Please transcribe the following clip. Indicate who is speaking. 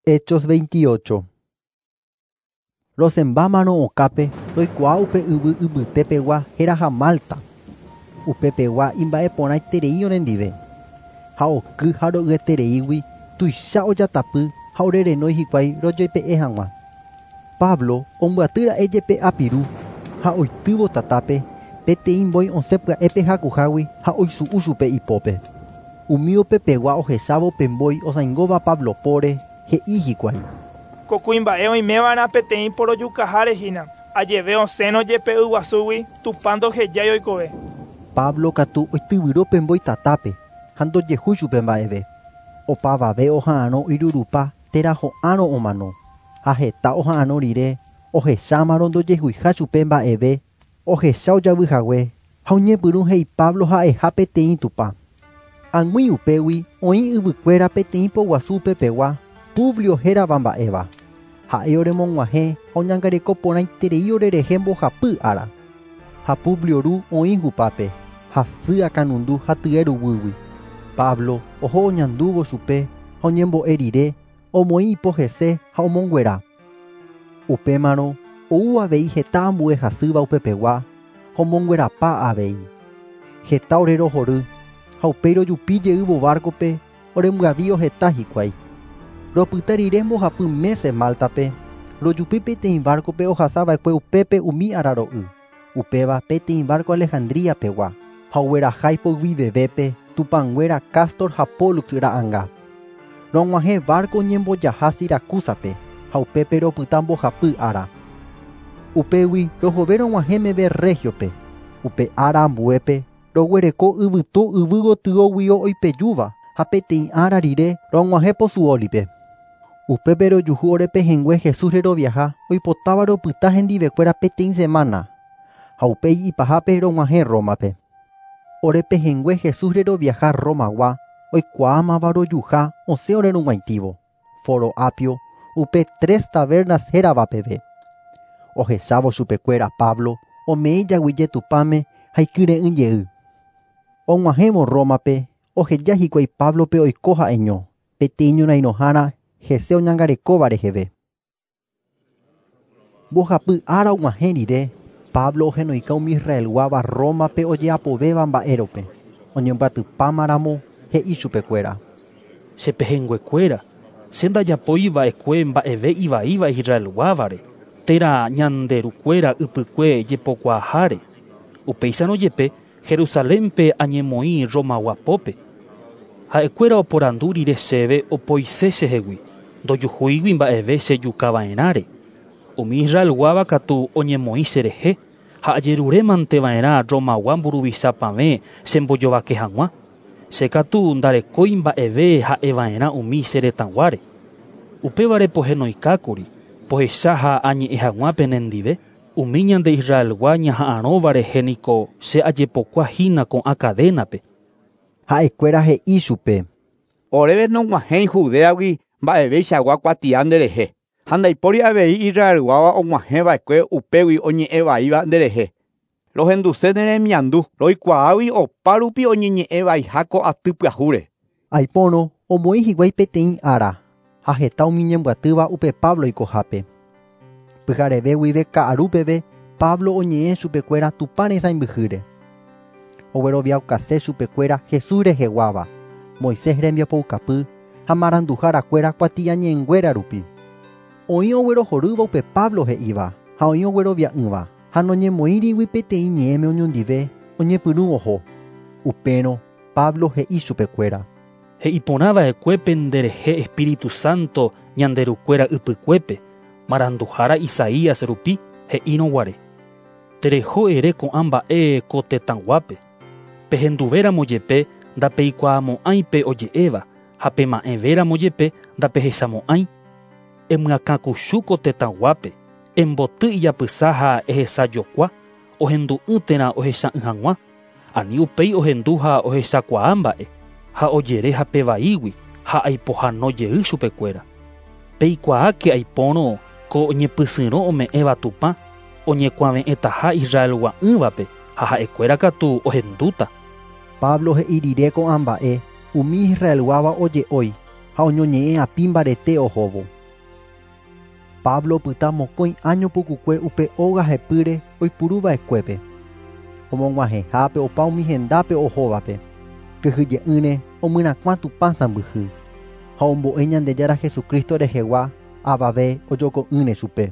Speaker 1: Hechos 28. Rosẽmbámarõ okápe roikuaa upe yvy yvytepegua héraha Malta. Upepegua imba'eporãiterei orendive. Ha oky ha ro'yetereígui tuicha ojatapy ha orerenói hikuái rojoipe'e hag̃ua. Pablo ombyatýra'e jepe apiru ha oitývo tatápe peteĩ mbói osẽ pya'épe hakuhágui ha oisu'u chupe ipópe. Umi upepegua ohechávo pe mbói osãingóva Pablo póre he'i hikuái.
Speaker 2: Ko kuimba'e oimeva'erã peteĩ porojukaháre hína, ajeve osẽrõ jepe yguasúgui Tupã ndohejái oikove.
Speaker 1: Pablo katu oityvyro pe mbói tatápe ha ndojehúi chupe mba'eve. Opavave oha'arõ irurupa térã ho'árõ omano, ha heta oha'arõ rire ohechámarõ ndojehuiha chupe mba'eve, ohecha ojavyhague ha oñepyrũ he'i Pablo ha'eha peteĩ Tupã. Ag̃ui upégui oĩ yvykuéra peteĩ poguasu upepegua Publio hérava mba'éva. Ha'e oremog̃uahẽ ha oñangareko porãiterei orerehe mbohapy ára. Ha Publio ru oĩ hupápe, hasy akãnundu ha tye ruguýgui. Pablo oho oñandúvo chupe ha oñembo'e rire omoĩ ipo hese ha omonguera. Upémarõ ou avei heta ambue hasýva upepegua ha omonguerapa avei. Heta orerohory ha upéi rojupi jeývo barco-pe orembyavio heta hikuái. Ropyta rire mbohapy mése Malta-pe, rojupi peteĩ barco-pe ohasava'ekue upépe umi araro'y. Upéva peteĩ barco Alejandría-pegua ha ogueraha ipoyvivevépe Tupãnguéra Castor ha Pollux ra'ãnga. Rog̃uahẽ barco oñembojaha Siracusa-pe ha upépe ropyta mbohapy ára. Upégui rohove rog̃uahẽ meve Regio-pe. Upe ára ambuépe roguereko yvytu yvy gotyo oipejúva ha peteĩ ára rire rog̃uahẽ Pozzuoli-pe. Upépe rojuhu orepehẽngue Jesús reroviaha oipotáva ropyta hendivekuéra peteĩ semana ha upéi ipahápe rog̃uahẽ Roma-pe. Orepehẽngue Jesús reroviaha Romagua oikuaámava rojuha osẽ orerug̃uaitĩvo. Foro Apio upe Tres Tabernas hérava peve. Ohechávo chupekuéra Pablo ome'ẽ jaguyje Tupãme ha ikyre'ỹ jey. Og̃uahẽvo Roma-pe oheja hikuái Pablo-pe oiko ha'eño, peteĩ ñorairõhára hese oñangarekóva reheve. Mbohapy ára og̃uahẽ rire, Pablo ohenoika umi Israelguáva Roma-pe ojeapovéva mba'érope. Oñembyatypámaramo he'i chupekuéra.
Speaker 3: Chepehẽnguekuéra, che ndajapoiva'ekue mba'eve ivaíva Israelguávare, térã ñanderukuéra ypykue jepokuaaháre. Upéicharõ jepe Jerusalénpe añemoĩ Romagua pópe. Ha'ekuéra oporandu rire chéve opoise chehegui, ndojuhúigui mba'eve chejukava'erãre. Umi Israelguáva katu oñemoĩ cherehe ha ajeruremanteva'erã Romagua mburuvichapavẽ chembojovake hag̃ua. Che katu ndarekói mba'eve ha'eva'erã umi che retãguáre. Upévare pohenoikákuri, pohecha ha añe'ẽ hag̃ua penendive. Umi ñande Israelgua ñaha'arõva rehe niko che ajepokuahína ko'ã cadena-pe.
Speaker 1: Ha'ekuéra he'i chupe.
Speaker 4: Oréve nog̃uahẽi Judeagui mba'eveichagua kuatia nderehe. Ha ndaipóri avei Israelguáva og̃uahẽva'ekue upégui oñe'ẽvaíva nderehe. Rohenduse neremiandu, roikuaágui opárupi oñeñe'ẽvaiha ko aty pyahúre.
Speaker 1: Aipórõ omoĩ hikuái peteĩ ára ha heta umi ñembyatýva upe Pablo oikohápe. Pyhareve guive ka'aru peve Pablo oñe'ẽ chupekuéra Tupã resãimbyhýre. Ogueroviaukase chupekuéra Jesús reheguáva, Moisés rembiapoukapy ha maranduharakuéra kuatiañe'ẽnguéra rupi. Oĩ oguerohorýva upe Pablo he'íva ha oĩ oguerovia'ỹva ha noñemoĩrigui peteĩ ñe'ẽme oñondive oñepyrũ oho. Upérõ Pablo he'i chupekuéra.
Speaker 3: He'iporãva'ekue penderehe Espíritu Santo ñanderukuéra ypykuépe, maranduhára Isaías rupi he'írõguare. Tereho ere ko'ã mba'e ko tetãguápe. Pehenduvéramo jepe ndapeikuaamo'ãi pe oje'éva ha pema'ẽvéramo jepe ndapehechamo'ãi. Emyakãkuchu ko tetãguápe, emboty ijapysa ha ehesajokua, ohendu'ỹ térã ohecha'ỹ hag̃ua, ani upéi ohendu ha ohechakuaa mba'e, ha ojere hapevaígui ha aipohano jey chupekuéra. Peikuaáke aipórõ ko ñepysyrõ ome'ẽva Tupã, oñekuave'ẽtaha Israelgua'ỹvape ha ha'ekuéra katu ohendúta.
Speaker 1: Pablo he'i rire ko'ã mba'e umi Israelguáva oje'ói ha oñoñe'ẽ api mbarete ohóvo. Pablo opyta mokõi áño pukukue upe óga hepýre oipuruva'ekuépe. Omog̃uahẽhápe opa umi hendápe ohóvape. Kyhyje'ỹre omyrakuã Tupã sãmbyhy ha ombo'e Ñandejára Jesucristo rehegua avave ojoko'ỹre chupe.